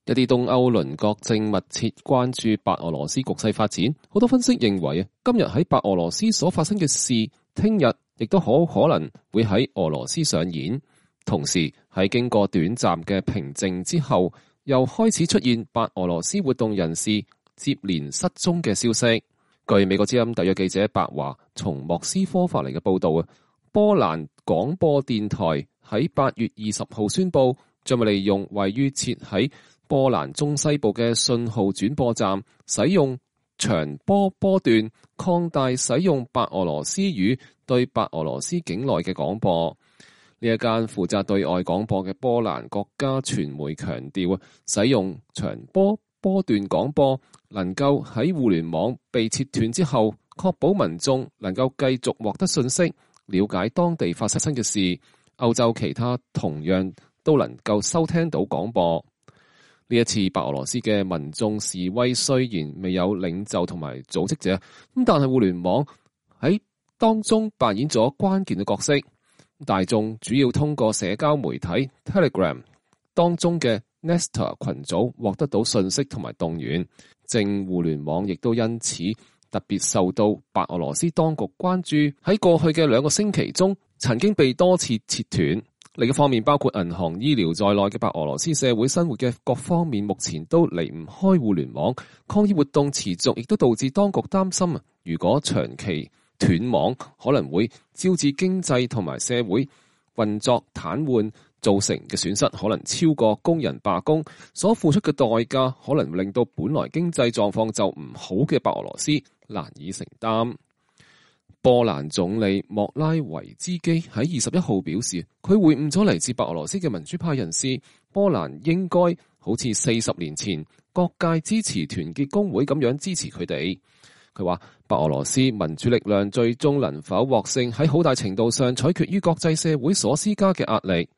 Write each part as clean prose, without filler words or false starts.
一啲東歐鄰國正密切關注白俄羅斯局勢發展，好多分析認為今日喺白俄羅斯所發生嘅事，聽日亦都好可能會喺俄羅斯上演。同時喺經過短暫嘅平靜之後，又開始出現白俄羅斯活動人士接連失蹤嘅消息。據美國之音特約記者白華從莫斯科發嚟嘅報道，波蘭廣播電台喺8月20號宣布，將會利用位於設喺波蘭中西部嘅信號轉播站，使用長波波段擴大使用白俄羅斯語對白俄羅斯境內嘅廣播。呢一間負責對外廣播嘅波蘭國家傳媒強調，使用長波波段廣播能夠喺互聯網被切斷之後，確保民眾能夠繼續獲得信息，了解當地發生嘅事。歐洲其他同樣都能夠收聽到廣播。呢一次白俄羅斯嘅民眾示威雖然未有領袖同埋組織者，但係互聯網喺當中扮演咗關鍵嘅角色。大眾主要通過社交媒體 Telegram 當中嘅 Nesta 群組獲得到信息同埋動員，正互聯網亦都因此特別受到白俄羅斯當局關注。喺過去嘅2個星期中，曾經被多次切斷。另一方面，包括銀行、醫療在內嘅白俄羅斯社會生活嘅各方面，目前都離唔開互聯網。抗議活動持續，亦都導致當局擔心，如果長期斷網，可能會招致經濟同埋社會運作癱瘓，造成嘅損失可能超過工人罷工所付出嘅代價，可能令到本來經濟狀況就唔好嘅白俄羅斯難以承擔。波蘭總理莫拉維茲基喺21號表示，佢會晤咗嚟自白俄羅斯嘅民主派人士，波蘭應該好似40年前各界支持團結工會咁樣支持佢哋。佢話白俄羅斯民主力量最終能否獲勝，喺好大程度上取決於國際社會所施加嘅壓力。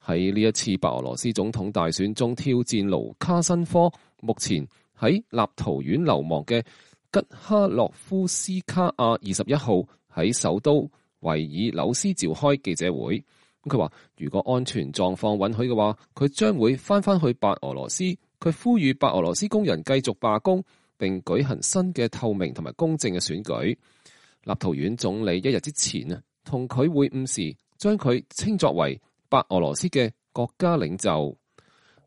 喺呢一次白俄羅斯總統大選中挑戰盧卡申科，目前喺立陶宛流亡嘅吉哈洛夫斯卡亞21號喺首都維爾紐斯召開記者會。佢話如果安全狀況允許嘅話，佢將會翻去白俄羅斯。佢呼籲白俄羅斯工人繼續罷工，並舉行新嘅透明同埋公正嘅選舉。立陶宛總理一日之前同佢會晤時，將佢稱作為白俄羅斯嘅國家領袖。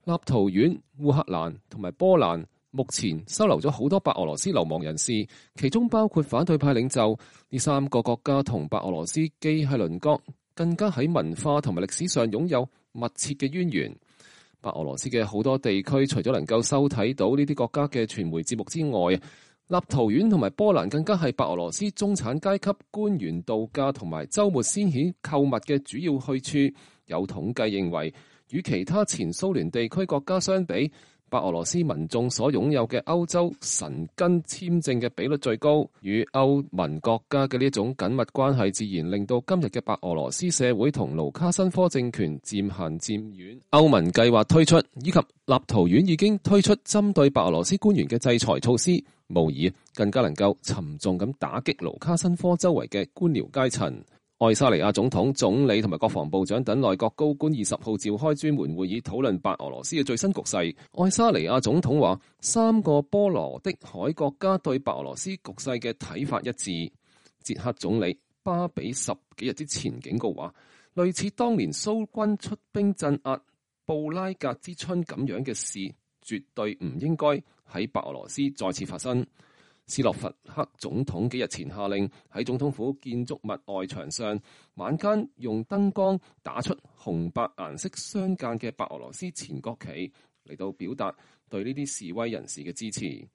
立陶宛、烏克蘭同埋波蘭目前收留咗好多白俄羅斯流亡人士，其中包括反對派領袖。呢3個國家同白俄羅斯既係鄰國，更加喺文化同埋歷史上擁有密切嘅淵源。白俄羅斯嘅好多地區，除咗能夠收睇到呢啲國家嘅傳媒節目之外，立陶宛同埋波蘭更加係白俄羅斯中產階級官員度假同埋週末先遣購物嘅主要去處。有統計認為，與其他前蘇聯地區國家相比，白俄羅斯民眾所擁有嘅歐洲申根簽證嘅比率最高，與歐盟國家嘅呢一種緊密關係，自然令到今日嘅白俄羅斯社會同盧卡申科政權漸行漸遠。歐盟計劃推出，以及立陶宛已經推出針對白俄羅斯官員嘅制裁措施，無疑更加能夠沉重咁打擊盧卡申科周圍嘅官僚階層。愛沙尼亞總統、總理同埋國防部長等內閣高官20號召開專門會議，討論白俄羅斯嘅最新局勢。愛沙尼亞總統話，3個波羅的海國家對白俄羅斯局勢嘅睇法一致。捷克總理巴比10幾日之前警告話，類似當年蘇軍出兵鎮壓布拉格之春咁樣嘅事，絕對唔應該喺白俄羅斯再次發生。斯洛伐克總統幾日前下令喺總統府建築物外牆上晚間用燈光打出紅白顏色相間嘅白俄羅斯前國旗，嚟到表達對呢啲示威人士嘅支持。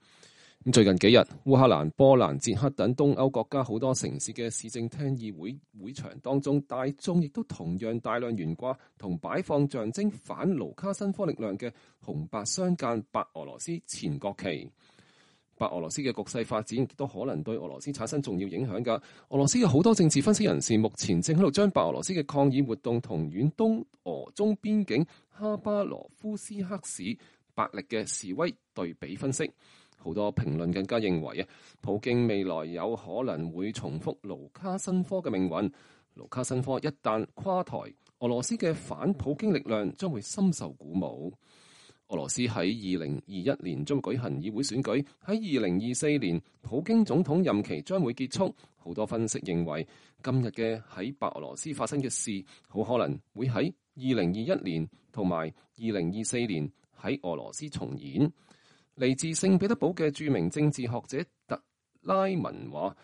最近幾日，烏克蘭、波蘭、捷克等東歐國家好多城市嘅市政廳議會會場當中，大眾亦都同樣大量懸掛同擺放象徵反盧卡申科力量嘅紅白相間白俄羅斯前國旗。白俄羅斯嘅局勢發展亦都可能對俄羅斯產生重要影響㗎。俄羅斯嘅好多政治分析人士目前正喺度將白俄羅斯嘅抗議活動同遠東俄中邊境哈巴羅夫斯克市白力嘅示威對比分析。好多評論更加認為普京未來有可能會重複盧卡申科嘅命運。盧卡申科一旦垮台，俄羅斯嘅反普京力量將會深受鼓舞。俄羅斯喺2021年將會舉行議會選舉，喺2024年普京總統任期將會結束。好多分析認為，今日嘅喺白俄羅斯發生嘅事，好可能會喺2021年同埋2024年喺俄羅斯重演。嚟自聖彼得堡嘅著名政治學者特拉文話，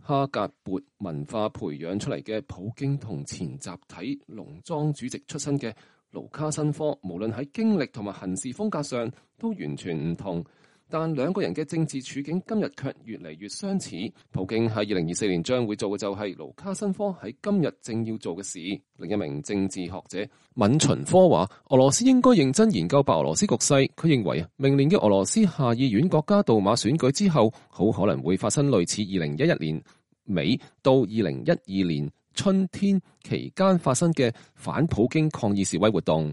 哈格勃文化培養出嚟嘅普京同前集體農莊主席出身嘅盧卡申科，無論喺經歷同埋行事風格上都完全唔同，但兩個人嘅政治處境今日卻越嚟越相似。普京喺2024年將會做嘅就係盧卡申科喺今日正要做嘅事。另一名政治學者閔秦科話，俄羅斯應該認真研究白俄羅斯局勢。佢認為明年嘅俄羅斯下議院國家杜馬選舉之後，好可能會發生類似2011年尾到2012年春天期間發生嘅反普京抗議示威活動。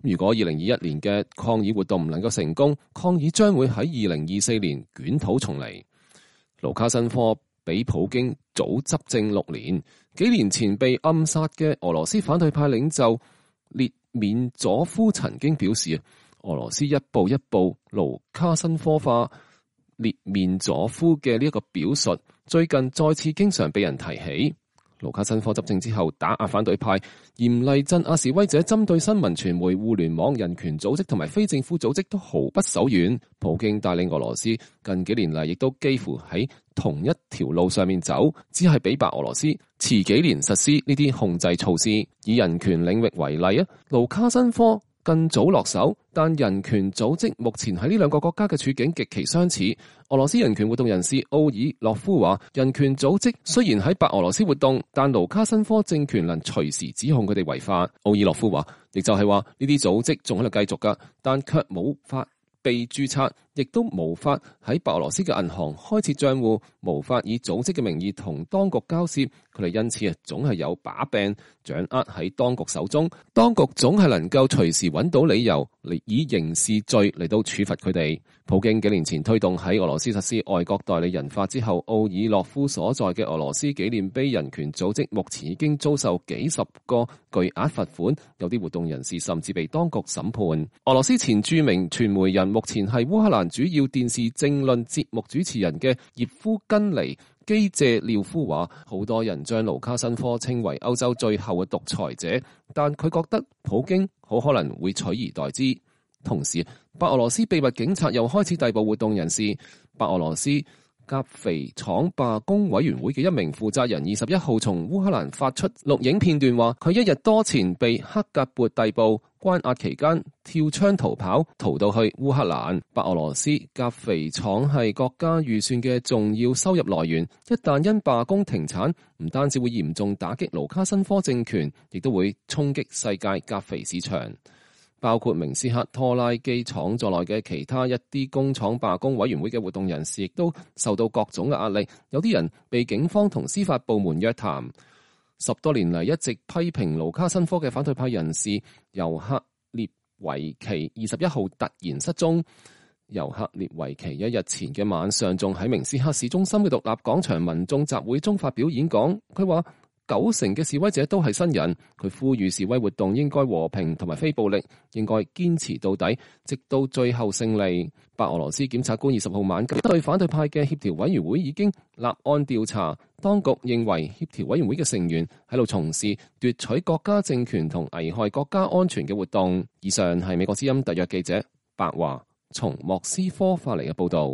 如果2021年嘅抗議活動唔能夠成功，抗議將會喺2024年捲土重嚟。盧卡申科比普京早執政6年，幾年前被暗殺嘅俄羅斯反對派領袖列緬佐夫曾經表示，俄羅斯一步一步盧卡申科化。列緬佐夫嘅呢一個表述，最近再次經常被人提起。盧卡申科執政之後，打壓反對派，嚴厲鎮壓示威者，針對新聞傳媒、互聯網、人權組織同埋非政府組織都毫不手軟。普京帶領俄羅斯近幾年嚟，亦都幾乎喺同一條路上面走，只係比白俄羅斯遲幾年實施呢啲控制措施。以人權領域為例啊，盧卡申科更早落手，但人權組織目前喺呢兩個國家嘅處境極其相似。俄羅斯人權活動人士奧爾洛夫話，人權組織雖然喺白俄羅斯活動，但盧卡申科政權能隨時指控佢哋違法。奧爾洛夫話，亦就係話呢啲組織仲喺度繼續㗎，但卻冇法被註冊，亦都無法喺白俄羅斯嘅銀行開設賬戶，無法以組織嘅名義同當局交涉。佢哋因此總係有把柄掌握喺當局手中，當局總係能夠隨時揾到理由嚟以刑事罪嚟到處罰佢哋。普京幾年前推動喺俄羅斯實施外國代理人法之後，奧爾洛夫所在嘅俄羅斯紀念碑人權組織目前已經遭受幾十個巨額罰款，有啲活動人士甚至被當局審判。俄羅斯前著名傳媒人，目前係烏克蘭主要電視政論節目主持人嘅葉夫根尼基謝廖夫話，好多人將盧卡申科稱為歐洲最後嘅獨裁者，但佢覺得普京好可能會取而代之。同時，白俄羅斯秘密警察又開始逮捕活動人士。白俄羅斯甲肥廠罷工委員會嘅一名負責人21號從烏克蘭發出錄影片段，話佢1日多前被克格勃逮捕，關押期間跳窗逃跑，逃到去烏克蘭。白俄羅斯甲肥廠係國家預算嘅重要收入來源，一旦因罷工停產，唔單止會嚴重打擊盧卡申科政權，亦都會衝擊世界甲肥市場。包括明斯克拖拉機廠在內嘅其他一啲工廠罷工委員會嘅活動人士，亦都受到各種嘅壓力。有啲人被警方同司法部門約談。10多年嚟一直批評盧卡申科嘅反對派人士尤克列維奇21號突然失蹤。尤克列維奇1日前嘅晚上仲喺明斯克市中心嘅獨立廣場民眾集會中發表演講，佢話90%嘅示威者都係新人，佢呼籲示威活動應該和平同埋非暴力，應該堅持到底，直到最後勝利。白俄羅斯檢察官20號晚對反對派嘅協調委員會已經立案調查，當局認為協調委員會嘅成員喺度從事奪取國家政權同危害國家安全嘅活動。以上係美國之音特約記者白華從莫斯科發嚟嘅報道。